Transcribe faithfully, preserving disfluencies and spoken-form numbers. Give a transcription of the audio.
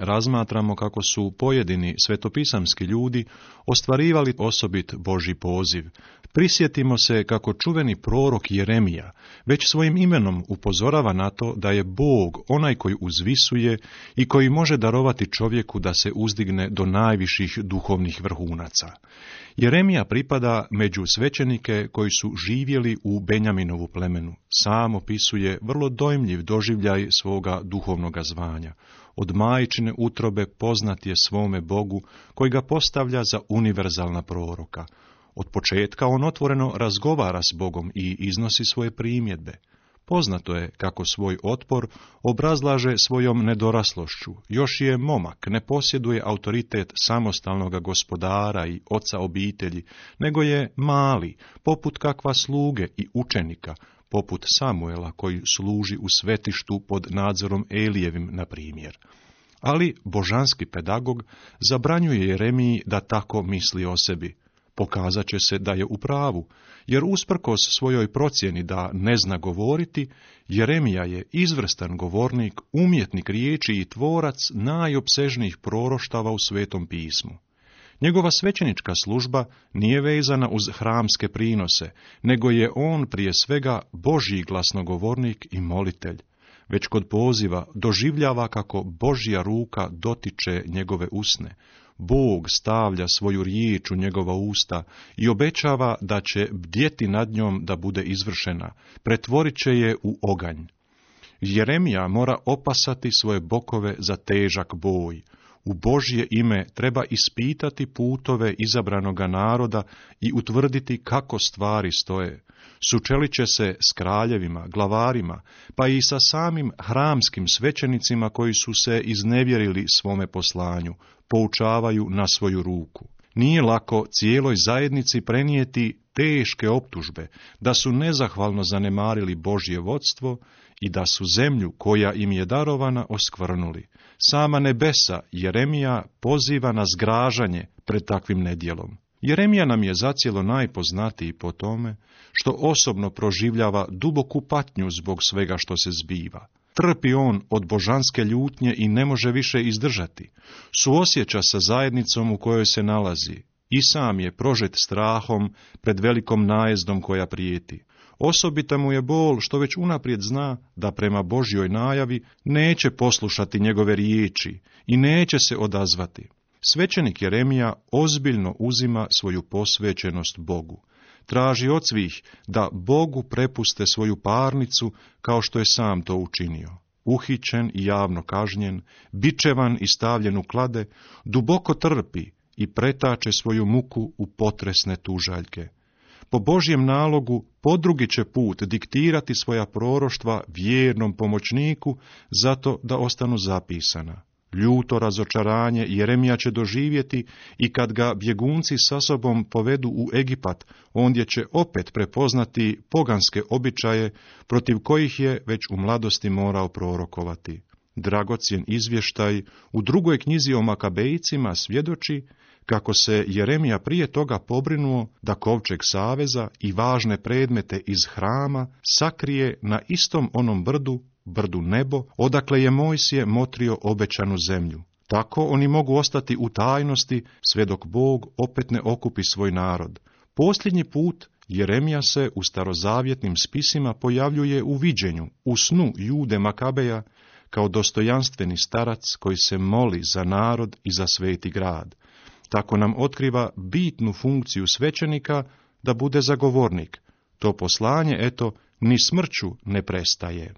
razmatramo kako su pojedini svetopisamski ljudi ostvarivali osobit Božji poziv. Prisjetimo se kako čuveni prorok Jeremija već svojim imenom upozorava na to da je Bog onaj koji uzvisuje i koji može darovati čovjeku da se uzdigne do najviših duhovnih vrhunaca. Jeremija pripada među svećenike koji su živjeli u Benjaminovu plemenu. Sam opisuje vrlo dojmljiv doživljaj svoga duhovnoga zvanja. Od majčine utrobe poznat je svome Bogu koji ga postavlja za univerzalna proroka. Od početka on otvoreno razgovara s Bogom i iznosi svoje primjedbe. Poznato je kako svoj otpor obrazlaže svojom nedoraslošću. Još je momak, ne posjeduje autoritet samostalnog gospodara i oca obitelji, nego je mali, poput kakva sluge i učenika, poput Samuela koji služi u svetištu pod nadzorom Elijevim, na primjer. Ali božanski pedagog zabranjuje Jeremiji da tako misli o sebi. Pokazat će se da je u pravu, jer usprkos svojoj procjeni da ne zna govoriti, Jeremija je izvrstan govornik, umjetnik riječi i tvorac najopsežnijih proroštava u Svetom pismu. Njegova svećenička služba nije vezana uz hramske prinose, nego je on prije svega Božji glasnogovornik i molitelj. Već kod poziva doživljava kako Božja ruka dotiče njegove usne. Bog stavlja svoju riječ u njegova usta i obećava da će bdjeti nad njom da bude izvršena, pretvorit će je u oganj. Jeremija mora opasati svoje bokove za težak boj. U Božje ime treba ispitati putove izabranoga naroda i utvrditi kako stvari stoje. Sučelit će se s kraljevima, glavarima, pa i sa samim hramskim svećenicima koji su se iznevjerili svome poslanju, poučavaju na svoju ruku. Nije lako cijeloj zajednici prenijeti teške optužbe, da su nezahvalno zanemarili Božje vodstvo i da su zemlju koja im je darovana oskvrnuli. Sama nebesa Jeremija poziva na zgražanje pred takvim nedjelom. Jeremija nam je zacijelo najpoznatiji po tome što osobno proživljava duboku patnju zbog svega što se zbiva. Trpi on od božanske ljutnje i ne može više izdržati. Suosjeća sa zajednicom u kojoj se nalazi. I sam je prožet strahom pred velikom najezdom koja prijeti. Osobita mu je bol što već unaprijed zna da prema Božjoj najavi neće poslušati njegove riječi i neće se odazvati. Svećenik Jeremija ozbiljno uzima svoju posvećenost Bogu. Traži od svih da Bogu prepuste svoju parnicu kao što je sam to učinio. Uhićen i javno kažnjen, bičevan i stavljen u klade, duboko trpi i pretače svoju muku u potresne tužaljke. Po Božjem nalogu podrugi će put diktirati svoja proroštva vjernom pomoćniku zato da ostanu zapisana. Ljuto razočaranje Jeremija će doživjeti i kad ga bjegunci sa sobom povedu u Egipat, ondje će opet prepoznati poganske običaje protiv kojih je već u mladosti morao prorokovati. Dragocjen izvještaj u drugoj knjizi o Makabejcima svjedoči kako se Jeremija prije toga pobrinuo da kovčeg saveza i važne predmete iz hrama sakrije na istom onom brdu, brdu Nebo, odakle je Mojsije motrio obećanu zemlju. Tako oni mogu ostati u tajnosti sve dok Bog opet ne okupi svoj narod. Posljednji put Jeremija se u starozavjetnim spisima pojavljuje u viđenju, u snu Jude Makabeja, kao dostojanstveni starac koji se moli za narod i za sveti grad. Tako nam otkriva bitnu funkciju svećenika da bude zagovornik. To poslanje, eto, ni smrću ne prestaje.